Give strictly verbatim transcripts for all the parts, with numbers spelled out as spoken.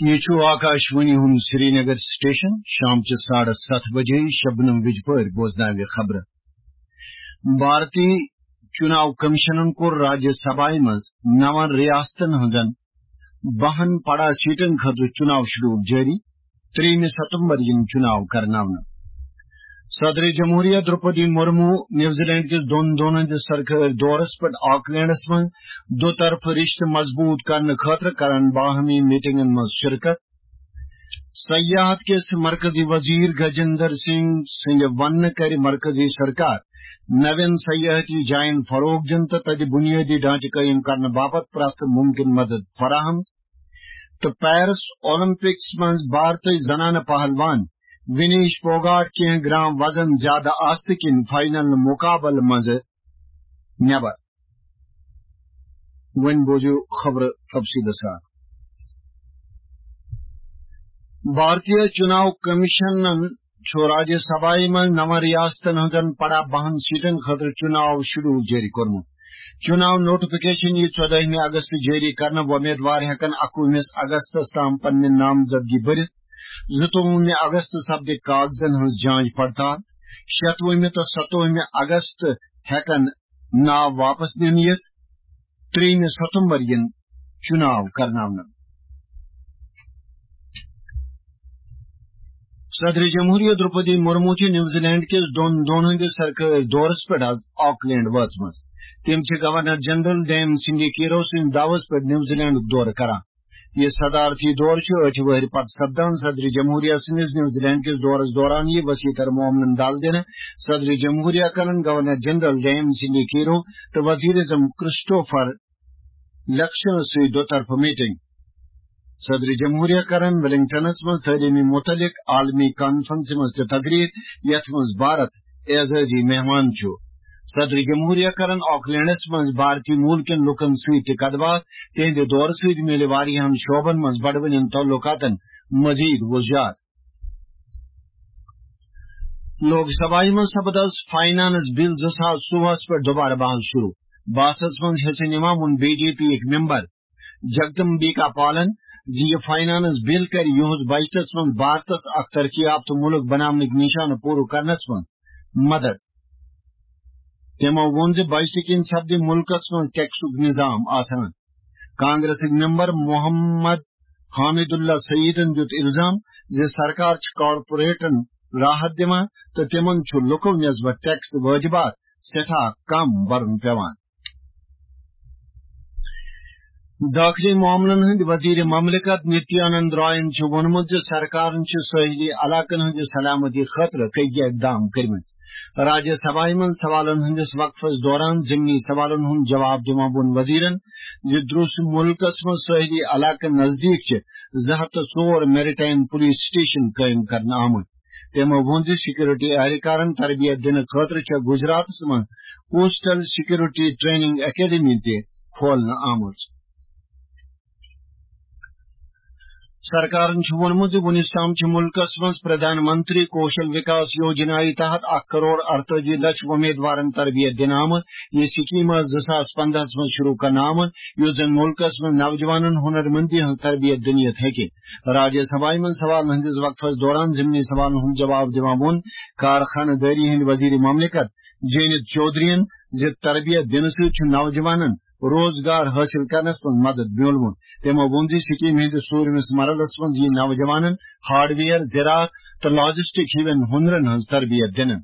یہ چھُ آکاشوانی ہُنٛد سرینگر سٹیشن۔ شام چہِ ساڑٕ ستھ بجے شبنم وِجہِ پٲرۍ بوزناوِ خبرٕ۔ بھارتی چُناو کمیشنن کوٚر راجیہ سبھایہ منٛز نون ریاستن ہٕنٛزن بہن پڑا سیٹن خٲطرٕ چُناو شیڈول جٲری۔ ترٛیٚیِمہِ ستمبر یِن چُناو کرناونہٕ۔ صدر جمہوریہ درپدی مرمو نیوزی لینڈ کِس دۄن دۄہن ہٕنٛدِس سرکٲرۍ دورس پٮ۪ٹھ آکلینڈس منٛز دو طرفہٕ رشتہٕ مضبوط کرنہٕ خٲطرٕ کرن باہمی میٹنگن منٛز شرکت۔ سیاحت کِس مرکزی وزیر گجندر سنگھ سٕنٛدِ وننہٕ کرِ مرکزی سرکار نوین سیاحتی جاین فروغ دِنہٕ تہٕ تتہِ بنیٲدی ڈھانچہٕ قٲیِم کرنہٕ باپتھ پرٛٮ۪تھ ممکن مدد فراہم۔ تہٕ پیرس اولمپکس منٛز بھارتٕچ زنانہٕ پہلوان ونیش پھوگاٹ کینٛہہ گرام وزن زیادٕ آستہٕ کِنۍ فاینل مقابلہٕ منٛزٕ نٮ۪بر۔ وۄنۍ بوزِو خبرٕ تفصیٖلہٕ سان۔ بھارتیہ چُناو کمیشنن چھُ راجیہ سبھایہ منٛز نون ریاستن ہٕنٛزن پڑا بہن سیٹن خٲطرٕ چُناو شیڈول جٲری کوٚرمُت۔ چُناو نوٹیفکیشن یِیہِ ژۄدٲہمہِ اگست جٲری کرنہٕ۔ وۄمیدوار ہٮ۪کن اکوُہمِس اگستس تام پننہِ نامزدگی بٔرِتھ۔ زٕتووُہمہِ اگست سپدِ کاغذن ہٕنٛز جانچ پڑتال۔ شیٚتوُہمہِ تہٕ ستووُہمہِ اگست ہٮ۪کن ناو واپس نِنہٕ یِتھ۔ ترٛیٚیِمہِ ستمبر یِن چُناو کرناونہٕ۔ صدر جمہوریہ درپدی مرمو چھِ نیوزی لینڈ کِس دۄن دۄہن ہٕنٛدِس سرکٲرۍ دورس پٮ۪ٹھ آز آکلینڈ وٲژمٕژ۔ تٔمۍ چھِ گورنر جنرل ڈیم سنڈی کیرو سٕنٛدِ دعوس پٮ۪ٹھ نیوزی لینڈُک دورٕ کران۔ یہِ صدارتی دورٕ چھُ ٲٹھِ وٕہٕرِ پتہٕ سپدان۔ صدر جمہوریہ سٕنٛدِس نیوزی لینڈ کِس دورس دوران یِیہِ وسیع تر معاملن دل دِنہٕ۔ صدر جمہوریہ کرن گورنر جنرل ڈیم سنڈی کیرو تہٕ وزیر اعظم کرسٹوفر لکشنس سۭتۍ دو طرفہٕ میٹنگ۔ صدر جمہوریہ کرن ویلنگٹنس منٛز تعلیمی متعلق عالمی کانفرنسہِ منٛز تہِ تقریر، یتھ منٛز بھارت اعزازی مہمان چھُ۔ صدر جمہوریہ کرن آکلینڈس منٛز بھارتی مول کٮ۪ن لوٗکن سۭتۍ تہِ کتھ باتھ۔ تِہنٛدِ دورٕ سۭتۍ میلہِ واریاہن شعبن منٛز بڑوٕنٮ۪ن تعلقاتن مزید وُزجار۔ لوک سبھایہ منٛز سپد آز فاینانس بل زٕ ساس ژوٚوُہس پٮ۪ٹھ دوبارٕ بحث شروع۔ بحثس منٛز حصہٕ نِوان ووٚن بی جے پی یِکۍ ممبر جگدمبیکا پالن زِ یہِ فاینانس بل کرِ یُہُس بجٹس منٛز بھارتس اکھ ترقی یافتہٕ ملک بناونٕکۍ نشانہٕ پوٗرٕ کرنس منٛز مدد۔ تِمو ووٚن زِ بجٹہٕ کِنۍ سپدِ ملکس منٛز ٹیکسُک نظام آسان۔ کانگریسٕکۍ ممبر محمد حامد اللہ سعیدن دیُت الزام زِ سرکار چھِ کارپوریٹن راحت دِوان تہٕ تِمن چھُ لُکو نسبت ٹیکس وٲجبات سٮ۪ٹھاہ کم برُن پٮ۪وان۔ دٲخلی معاملن ہٕنٛدۍ وزیر مملکت نتیانند رائن چھُ ووٚنمُت زِ سرکارن چھِ سٲحلی علاقن ہٕنٛزِ سلامتی خٲطرٕ کٔکۍ اقدام کٔرمٕتۍ۔ راجیہ سبھایہ منٛز سوالن ہٕنٛدِس وقفس دوران ضمنی سوالن ہُنٛد جواب دِوان ووٚن وزیرن زِ درٛوس مُلکس منٛز سٲحلی علاقن نزدیٖک چھِ زٕ ہتھ تہٕ ژور میریٹائم پولیس سٹیشن قٲیِم کرنہٕ آمٕتۍ۔ تٔمۍ ووٚن زِ سیکورٹی اہلکارن تربیت دِنہٕ خٲطرٕ چھےٚ گجراتس منٛز کوسٹل سیکورٹی ٹریننگ اکیڈمی تہِ کھولنہٕ آمٕژ۔ سرکارن چھُ ووٚنمُت زِ وُنیُس تام چھِ مُلکس منٛز پردھان منتری کوشل وکاس یوجنایہِ تحت اکھ کرور ارتٲجی لچھ وۄمیدوارن تربیت دِنہٕ آمٕژ۔ یہِ سکیٖم ٲس زٕ ساس پنٛداہس منٛز شروع کرنہٕ آمٕژ، یُس زن مُلکس منٛز نوجوانن ہُنر مندی ہٕنٛز تربیت دِنہٕ یِتھ ہیٚکہِ۔ راجیہ سبھایہ منٛز سوالن ہٕنٛدِس وقفس دوران ضمنی سوالن ہُنٛد جواب دِوان ووٚن کارخانہٕ دٲری ہٕنٛدۍ وزیر مملکت جینت چودھرین زِ تربیت دِنہٕ سۭتۍ چھُ نوجوانن روزگار حٲصِل کرنس منٛز مدد میولمُت۔ تٔمۍ ووٚن زِ سکیٖم ہٕنٛدِس ژوٗرمِس مرحلس منٛز یِیہِ نوجوانن ہارڈویئر، زراعت تہٕ لاجسٹک ہِوٮ۪ن ہُنرن ہٕنٛز تربیت دِنہٕ۔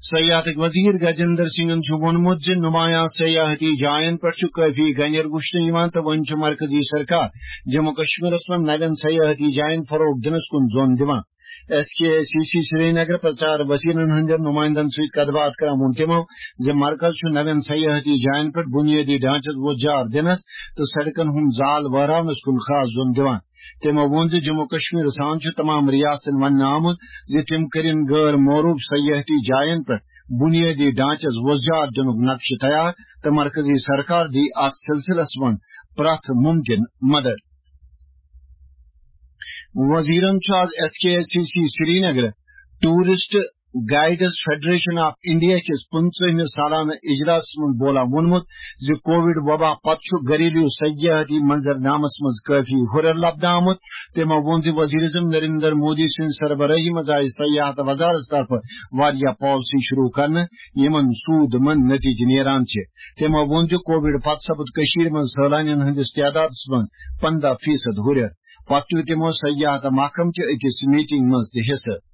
سیاحتٕکۍ وزیر گجندر سنگھن چھُ ووٚنمُت زِ نمایاں سیاحتی جاین پٮ۪ٹھ چھُ کٲفی گنیر وُچھنہٕ یِوان تہٕ وۄنۍ چھُ مرکزی سرکار جموں کشمیرس منٛز نوٮ۪ن سیاحتی جاین فروغ دِنس کُن زوٚن دِوان۔ S K C C Srinagar پرچار وزیرن ہٕنٛدٮ۪ن نمائندن سۭتۍ کتھ باتھ کران ووٚن تِمو زِ مرکز چھُ نوٮ۪ن سیاحتی جاین پٮ۪ٹھ بنیٲدی ڈھانچس وۄزجار دِنس تہٕ سڑکن ہُنٛد زال وہراونس کُن خاص زوٚن دِوان۔ تٔمۍ ووٚن زِ جموں کشمیر سان چھُ تمام ریاستن وننہٕ آمُت زِ تِم کٔرِن غٲر معروف سیاحتی جاین پٮ۪ٹھ بنیٲدی ڈھانچس وۄزجار دِنُک نقشہٕ تیار تہٕ مرکزی سرکار دی اتھ سلسلس منٛز پرٛٮ۪تھ ممکن مدد۔ وزیرن چھُ آز S K C C Srinagar tourist guides federation of India کِس پٕنٛژٕہمِس سالانہٕ اجلاسَس منٛز بولان ووٚنمُت زِ کووڈ وبا پتہٕ چھُ گھریلو سیاحتی منظرنامس منٛز کٲفی ہُرٮ۪ر لبنہٕ آمُت۔ تٔمۍ ووٚن زِ وزیر اعظم نریندر مودی سٕنٛدِ سربرٲہی منٛز آیہِ سیاحت وزارت طرفہٕ واریاہ پالیسی شروع کرنہٕ، یِمن سود مند نتیجہٕ نیران چھِ۔ تٔمۍ ووٚن زِ کووڈ پتہٕ سپُد کٔشیٖر منٛز سٲلانٮ۪ن ہٕنٛدِس تعدادس منٛز پنٛداہ فیصد ہُرٮ۪ر۔ پتہٕ تُل تِمو سیاحت محکمہٕ چہِ أکِس میٹنگ منٛز تہِ حصہٕ۔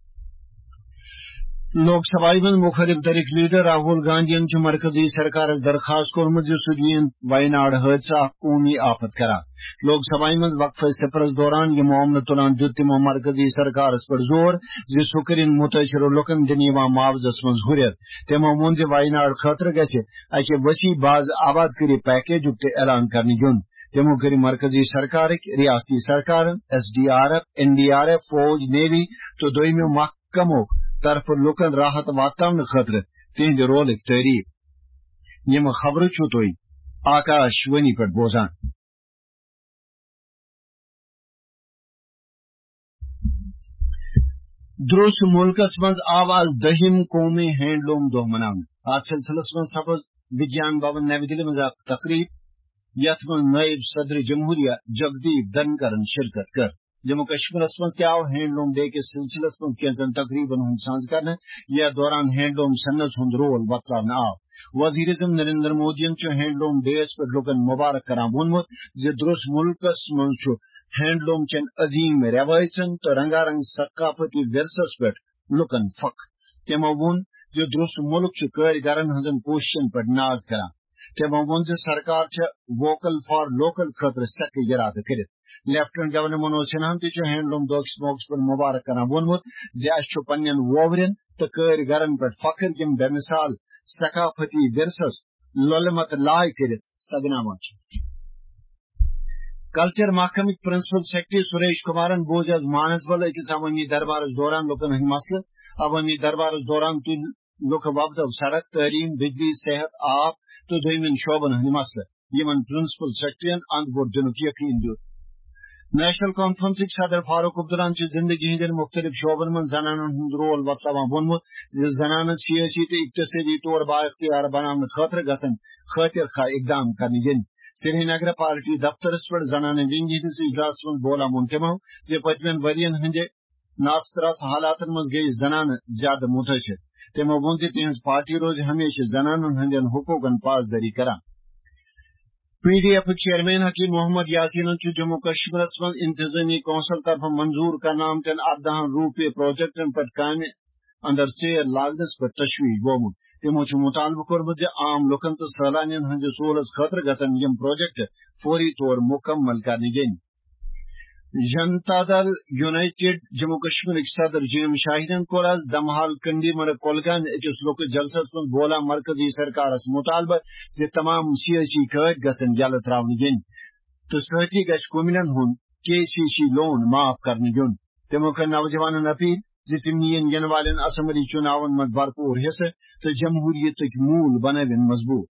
لوک سبھایہ منٛز مخٲلف دھڑٕکۍ لیڈر راہول گاندھین چھُ مرکزی سرکارس درخواست کوٚرمُت زِ سُہ دِیِن ویناڈ حٲدثہٕ اکھ قومی آفت قرار۔ لوک سبھایہ منٛز وقفہٕ صفرس دوران یہِ معاملہٕ تُلان دیُت تِمو مرکزی سرکارس پٮ۪ٹھ زور زِ سُہ کٔرِن مُتٲثِرٕ لُکن دِنہٕ یِوان معاوضس منٛز ہُرٮ۪ر۔ تِمو ووٚن زِ ویناڈ خٲطرٕ گژھِ اکہِ وسیع باز آباد کٲری پیکیجُک تہِ اعلان کرنہٕ یُن۔ تِمو کٔرۍ مرکزی سرکارٕکۍ، ریاستی سرکارن، S D R F, N D R F, فوج، نیوی تہٕ دوٚیمہِ محکمو طرفہٕ لوٗکن راحت واتناونہٕ خٲطرٕ تِہنٛدِ رولٕکۍ تعریف۔ یِم خبرٕ چھِو تُہۍ آکاش وانی پٮ۪ٹھ بوزان۔ درٛوس مُلکس منٛز آو آز دٔہِم قومی ہینڈلوم دۄہ مناونہٕ۔ اتھ سلسلس منٛز سپٕز وگیان بھون نَوِ دِلہِ منٛز اکھ تقریب، یتھ منٛز نٲیِب صدر جمہوریہ جگدیپ دھنکرن شرکت کٔر۔ جموں کشمیرس منٛز تہِ آو ہینڈلوم ڈے کِس سلسلس منٛز کینٛژن تقریبن ہُنٛد سنز کرنہٕ، یتھ دوران ہینڈلوم صنعت ہُنٛد رول وۄتلاونہٕ آو۔ وزیر اعظم نریندر مودیَن چھُ ہینڈلوم ڈے یَس پٮ۪ٹھ لوٗکن مبارک کران ووٚنمُت زِ درٛوس مُلکس منٛز چھُ ہینڈلوم چٮ۪ن عظیٖم رٮ۪وٲیژن تہٕ رنگارنگ ثقافتی ورثس پٮ۪ٹھ لوٗکن فخر۔ تِمو ووٚن زِ درٛوس مُلک چھُ کٲرۍ گرن ہٕنٛزن کوٗششن پٮ۪ٹھ ناز کران۔ تِمو ووٚن زِ سرکار چھےٚ ووکل فار لوکل خٲطرٕ سخت ارادٕ کٔرِتھ۔ لیفٹیننٹ گورنر منوج سنہاہن تہِ چھُ ہینڈلوم دۄہ کِس موقعس پٮ۪ٹھ مبارک کران ووٚنمُت زِ اَسہِ چھُ پننٮ۪ن ووورٮ۪ن تہٕ کٲرۍ گرن پٮ۪ٹھ فخر، یِم بے مثال ثقافتی ورثس لۄلہِ متہٕ لاے کٔرِتھ سگناوان چھِ۔ کلچر محکمٕکۍ پرنسپل سیکرٹری سریش کمارن بوز آز مانسبل أکِس عوٲمی دربارس دوران لوٗکن ہٕنٛدۍ مسلہٕ۔ عوٲمی دربارس دوران تُلۍ لوٗکھ وۄپدو سڑک، تعلیٖم، بجلی، صحت، آب تہٕ دوٚیمٮ۪ن شعبن ہٕنٛدۍ مسلہٕ، یِمن پرنسپل سیکرٹریَن اند بوٚڑ دِنُک یقین دیُت۔ نیشنل کانفرنسٕکۍ صدر فاروق عبداللہَن چھُ زندگی ہٕنٛدٮ۪ن مُختٔلِف شعبن منٛز زنانن ہُنٛد رول وۄتلاوان ووٚنمُت زِ زنانن سیٲسی تہٕ اقتصٲدی طور بااختیار بناونہٕ خٲطرٕ گژھن خٲطر خواہ اقدام کرنہٕ یِنۍ۔ سرینگرٕ پارٹی دفترس پٮ۪ٹھ زنانہٕ ونگ ہٕنٛدِس اجلاسس منٛز بولان ووٚن تِمو زِ پٔتمٮ۪ن ؤرین ہٕنٛدِ ناستراس حالاتن منٛز گٔیہِ زنانہٕ زیادٕ مُتٲثِر۔ تِمو ووٚن زِ تِہنٛز پارٹی روزِ ہمیشہِ زنانن ہٕنٛدٮ۪ن حقوٗقن پاسدٲری کران۔ P D ایفٕکۍ chairman Hakim Muhammad یاسینن چھُ جموں کشمیرس منٛز انتظامی کونسل طرفہٕ منظور کرنہٕ آمتٮ۪ن ارداہن روپے پروجیکٹن پٮ۪ٹھ کامہِ اندر ژیر لاگنس پٮ۪ٹھ تشویش بومُت۔ تِمو چھُ مُطالبہٕ کوٚرمُت زِ عام لوٗکن تہٕ سٲلانٮ۪ن ہٕنٛدِ سہوٗلژ خٲطرٕ گژھن یِم پروجیکٹ فوری طور مُکمل کرنہٕ یِنۍ۔ جنتا دل یونائیٹڈ جموں کشمیرٕکۍ صدر جی ایم شاہیٖنن کوٚر آز دمحال کنڈی مرگ کۄلگامہِ أکِس لۄکٹِس جلسس منٛز بولان مرکزی سرکارس مُطالبہٕ زِ تمام سیٲسی قٲدۍ گژھن یلہٕ ترٛاونہٕ یِنۍ تہٕ سۭتی گژھِ کُمِلن ہُنٛد کے سی سی لون معاف کرنہٕ یُن۔ تِمو کٔر نوجوانن اپیل زِ تِم نِیِن یِنہٕ والٮ۪ن اسمبلی چُناون منٛز بھرپوٗر حصہٕ تہٕ جمہوٗریتٕکۍ موٗل بنٲوِن مضبوٗط۔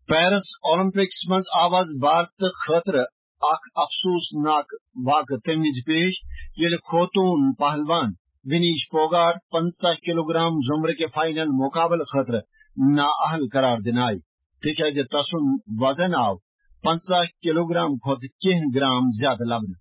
پیرس اولمپکس منٛز آو آز بھارتہٕ خٲطرٕ اکھ افسوسناک واقعہٕ تَمہِ وِزِ پیش، ییٚلہِ خوتوٗن پہلوان ونیش پوگاٹ پنٛژاہ کلوگرام زمرٕ کہِ فائنل مقابلہٕ خٲطرٕ نااہل قرار دِنہٕ آیہِ، تِکیازِ تسُنٛد وزن آو پنٛژاہ کلوگرام کھۄتہٕ کینٛہہ گرام زیادٕ لبنہٕ۔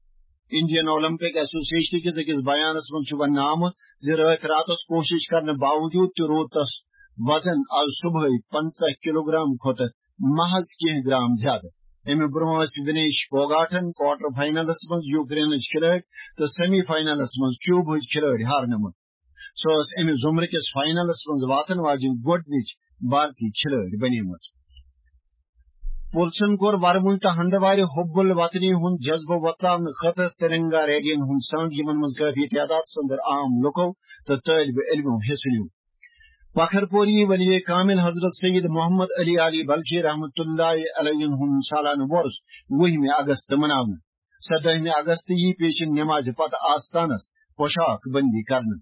انڈین اولمپک ایسوسیشن کِس أکِس بیانس منٛز چھُ وننہٕ آمُت زِ رٲتۍ راتس کوٗشش کرنہٕ باوجود تہِ روٗد تس وزن آز صبحٲے پنٛژاہ کلوگرام کھۄتہٕ محض کینٛہہ گرام زیادٕ۔ اَمہِ برٛونٛہہ ٲسۍ ونیش پوگاٹن کوارٹر فائنلس منٛز یوکرینٕچ کھلٲڑۍ تہٕ سیمی فائنلس منٛز کیوبہٕچ کھلٲڑۍ ہارنٲومٕژ۔ سۄ ٲس اَمہِ زمرٕ کِس فائنلس منٛز واتن واجیٚنۍ گۄڈٕنِچ بھارتی کھلٲڑۍ بنیمٕژ۔ پُلسن کوٚر ورمُل تہٕ ہندوارِ حب الوطنی ہُنٛد جذبہٕ وۄتلاونہٕ خٲطرٕ ترنگا ریلیَن ہُنٛد سنز، یِمن منٛز کٲفی تعدادس اندر عام لوٗکو تہٕ طٲلبہِ علمو حصہٕ نیوٗ۔ پکھر پوری ولی کامل حضرت سید محمد علی علی بلخی رحمتہ اللہ علیہ ہُنٛد سالانہٕ وۄرُس وُہمہِ اگست مناونہٕ۔ سدٲہمہِ اگست یی پیشن نمازِ پتہٕ آستانس پوشاک بندی کرنہٕ۔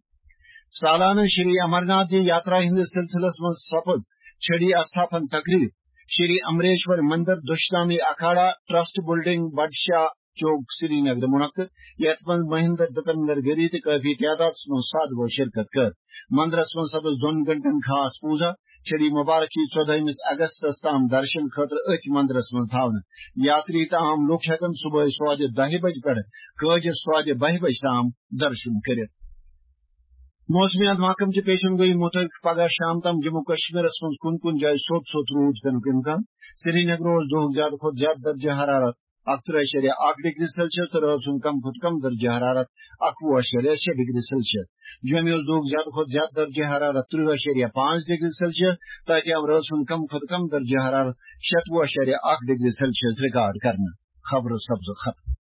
سالانہٕ شری امرناتھ جی یاترا ہٕنٛدِس سلسلس منٛز سپٕز چھڑی استھاپن تقریب شری امریشور مندر دشنامی اکھاڑا ٹرسٹ بلڈنگ بڈشاہ چوک سرینگر منعقد، یتھ منٛز مہندر دپندر گری تہٕ کٲفی تعدادس منٛز سادھوو شرکت کٔر۔ مندرس منٛز سپٕز دۄن گھنٹن خاص پوٗزا۔ چھڑی مبارک یی ژۄدہمِس اگستس تام درشن خٲطرٕ أتھۍ مندرس منٛز تھاونہٕ۔ یاتری تہٕ عام لوٗکھ ہٮ۪کن صبحٲے سوادِ دَہہِ بجہِ پٮ۪ٹھٕ کٲجِس سوادِ بَہہِ بجہِ تام درشن کٔرِتھ۔ موسمیات محکمہٕ چہِ پیشن گویی مُطٲبِق پگاہ شام تام جموں کشمیرس منٛز کُنہِ کُنہِ جایہِ سوٚت سوٚت روٗد پینُک امکان۔ سرینگرٕ اوس دۄہُک زیادٕ کھۄتہٕ زیادٕ درجہ حرارت اَکترٕہ اَشاریہ اَکھ ڈگری سیلسیس تہٕ رٲژ ہُنٛد کم کھۄتہٕ کم درجہ حرارت اَکوُہ اَشاریہ شےٚ ڈگری سیلسیس۔ جوٚمہِ اوس دۄہُک زیادٕ کھۄتہٕ زیادٕ درجہ حرارت ترٕٛہ اَشاریہ پانٛژھ ڈگری سیلسیس، تہٕ اَتہِ آو رٲژ ہُنٛد کم کھۄتہٕ کم درجہ حرارت شَتوُہ اَشاریہ اَکھ ڈگری سیلسیس ریکارڈ کرنہٕ۔ خبرٕ سبزٕ ختم۔